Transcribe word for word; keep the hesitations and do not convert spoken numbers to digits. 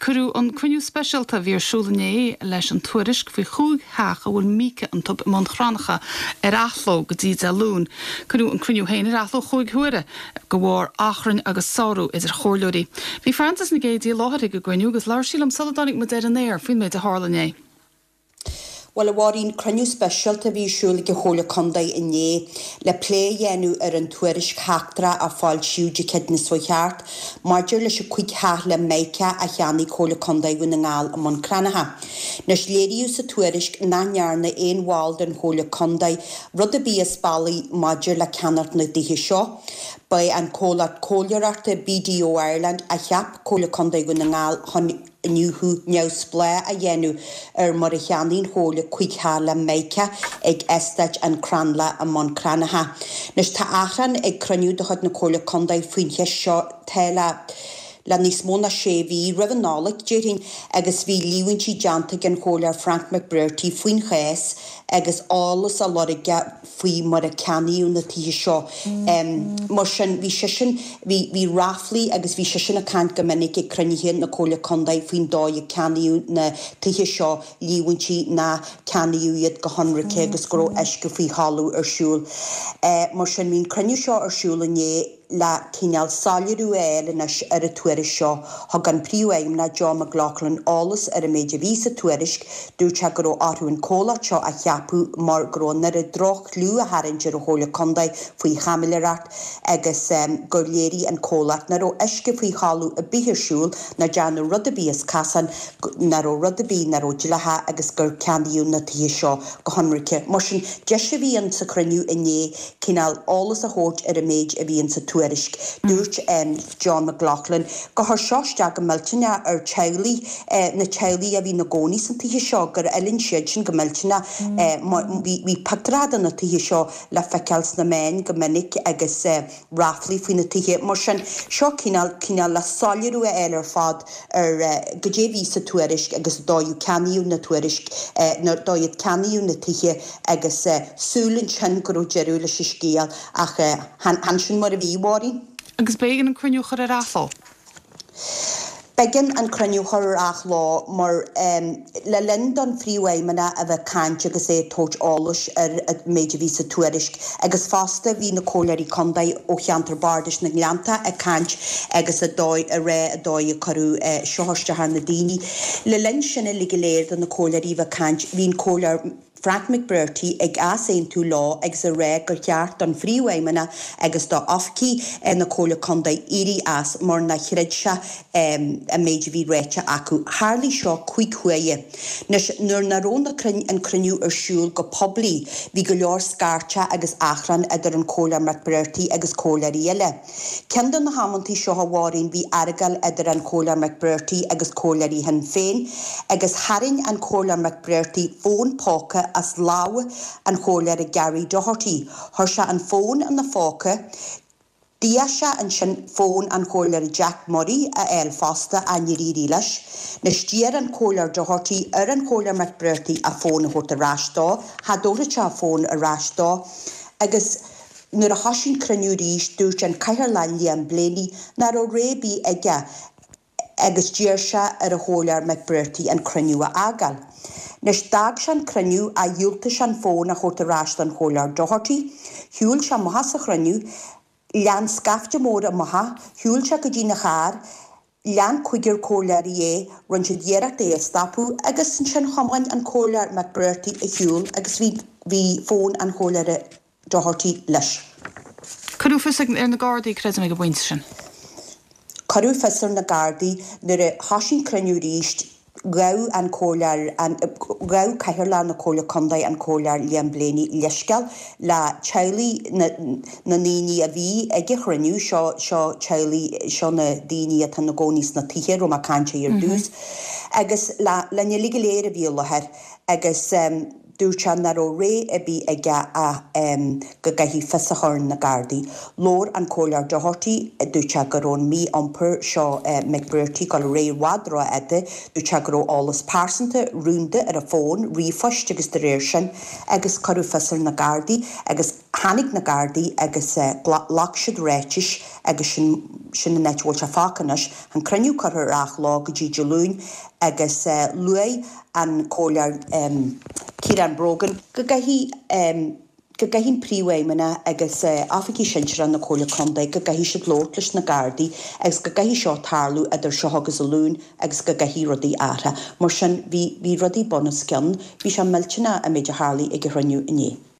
Cuireadh an cruinniú speisialta a bhí ar siúl inné leis an tuairisc faoi chúig theach a bhfuil Míoca iontu i mBun Cranncha ar athló go dtí Dé Luain. Cuireadh an cruinniú féin ar athló chúig huaire de bharr achrainn agus sárú idir chomhairleoirí. Bhí Frances Nic Géadaigh i láthair ag an gcruinniú agus labhair sí liom sula dtáinig muid ar an aer faoin méid a tharla inné. Well a Mháirín cruinniú speisialta a bhí ar siúl ag an Chomhairle Contae inné le plé a dhéanamh ar an tuairisc sheachtrach a foilsíodh Dé Céadaoin seo thart maidir leis an cúig theach le Mica a cheannaigh Comhairle Contae Dhún na nGall i mBun Cranncha. Anois léiríodh sa tuairisc nach ndearna aon bhall den Chomhairle Contae rud ar bith as bealach maidir le ceannacht na dtithe seo. Ba é an comhlacht comhairleoireachta BDO Ireland a cheap Comhairle Contae Dhún na nGall chun iniúchadh neamhspleách a dhéanamh ar mar a cheannaigh an Chomhairle cúig theach le Mica ag eastát an Crannlach i mBun Cranncha. Anois tá achrann ag cruinniú de chuid na Comhairle Contae faoin cheist seo tá le le níos mó ná sé mhí roimh an Nollaig déarfainn agus bhí líomhaintí déanta ag an Chomhairleoir Frank McBrearty faoin chás agus eolas á lorg aige faoi mar a ceannaíodh na tithe seo. Um, mar sin bhí seisean bhí bhí ráflaí agus bhí seisean ag caint go minic ag cruinnithe na Comhairle Contae faoin dóigh a ceannaíodh na tithe seo líomhaintí nár ceannaíodh iad go hionraice agus go raibh uisce faoi thalamh ar siúl. Uh, mar sin bhí an cruinniú seo ar siúl inné le cineál soiléiriú a fháil anois ar an tuairisc seo thug an príomhfheidhmeannach John McLaughlin eolas ar an méid a bhí sa tuairisc dúirt sé go raibh orthu an comhlacht seo a cheapadh mar go raibh an oiread droch-chlú á tharraingt ar an Chomhairle Contae faoi chaimiléireacht agus um, gur léirigh an comhlacht nach raibh uisce faoi thalamh ar bith ar siúl nach ndearnadh rud ar bith as casán nach raibh rud ar bith nach raibh dleathach agus gur ceannaíodh na tithe seo go hionraice. Mar sin deis a bhí ann sa chruinniú inné cineál eolas a thabhairt ar an méid a bhí sa tuairisc. Dúirt um, John McLaughlin gur chuir seo isteach go millteanach ar teaghlaigh eh, na teaghlaigh a bhí ina gcónaí sna tithe seo gur fhulaing siad sin go millteanach eh, bhí pictiúirí de na tithe seo le feiceáil sna meáin go minic agus eh, ráflaí faoi na tithe mar sin seo cineál cineál le soiléiriú a fháil ar fad ar uh, goidé a bhí sa tuairisc agus dóigh ceannaíodh na tuairisc uh, na dóigh ceannaíodh na tithe agus uh, súil ansin go raibh deireadh leis an scéal ach uh, chan sin mar a bhí Mháirín. Agus b'éigean an cruinniú a chur ar athló. B'éigean an cruinniú a chur ar athló mar um, le linn don phríomhfheidhmeannach a bheith ag caint agus é ag tabhairt eolais ar an méid a bhí sa tuairisc agus fosta bhí na comhairleoirí contae ó cheantar bardais na nGleannta ag caint agus a dóigh a rá an dóigh a cuireadh uh, seo isteach ar na daoine. Le linn sin le go léir do na comhairleoirí bheith ag caint bhí an comhairleoir Frank McBrearty ag easaontú leo agus a rá gur cheart don phríomhfheidhmeannach agus do oifigigh na Comhairle Contae éirí as mar nár chreid sé um, an méid a bhí ráite acu. Tharla seo cúig huaire. Anois nuair nach raibh an cruinniú ar siúl go poiblí, bhí go leor scairteadh agus achrann idir an Comhairleoir McBrearty agus comhairleoirí eile. Ceann de na hamantaí seo a Mháirín bhí argáil idir an Comhairleoir McBrearty agus comhairleoirí Shinn Féin, agus tharraing an Comhairleoir McBrearty fón póca as lámh an chomhairleora Gary Doherty. Chuir sé an fón ina phóca, D'iarr sé ansin fón an chomhairleora Jack Murray a fháil fosta a nírí leis, Anois d'iarr an Comhairleoir Doherty ar an Chomhairleoir McBrearty a fón a thabhairt ar ais dó, cha dtabharfadh sé a fón ar ais dó, agus nuair a thosaigh an cruinniú arís dúirt an Cathaoirleach Liam Blaney nach raibh rogha ar bith aige agus d'iarr sé ar an Chomhairleoir McBrearty an cruinniú a fhágáil. Anois d'fhág sé an cruinniú a dhiúltaigh sé an fón a thabhairt ar ais don Chomhairleoir Doherty, Shiúil sé amach as an chruinniú, lean scaifte mór amach, shiúil sé go dtína charr, lean cúigear comhairleoirí é, rinne siad iarracht é a stopadh agus ansin thiomáin an Comhairleoir McBrearty ar shiúl agus bhí bhí fón an Chomhairleora Doherty leis. Cuireadh fios ar na Gardaí creidim ag an bpointe sin. Cuireadh fios ar na Gardaí nuair a thosaigh an cruinniú arís ghabh an Comhairleoir ghabh Cathaoirleach na Comhairle Contae an Comhairleoir Liam Blaney leithscéal le teaghlaigh na ndaoine a bhí ag an chruinniú seo seo teaghlaigh seo na daoine atá ina gcónaí sna tithe a raibh mé ag caint ar dtús agus le le uilig go léir a bhí i láthair agus um, dúirt sé nach raibh rogha ar bith aige ach um, go gcaithfí fios a chur ar na Gardaí. Labhair an Comhairleoir Doherty dúirt sé go raibh an mí-iompar seo uh, McBrearty go ré bhd ró-fhada, dúirt sé go raibh eolas pearsanta rúnda ar a fón, ríomhphoist agus de réir sin agus cuireadh fios ar na Gardaí agus tháinig na Gardaí agus uh, ghlac siad ráitis agus sin sin an áit a bhfuil sé fágtha anois. An cruinniú curtha ar athló go dtí Dé Luain agus luaigh an Comhairleoir Ciarán Brogan go gcaithfidh go gcaithfidh an Príomhfheidhmeannach agus oifigigh sinsearacha na Comhairle Contae go gcaithfidh siad labhairt leis na Gardaí agus go gcaithfidh seo tarlú idir seo agus Dé Luain agus go gcaithfidh rudaí athrú. Mar sin bhí bhí rudaí bun os cionn, bhí sé millteanach an méid a tharlaigh ag an chruinniú inné.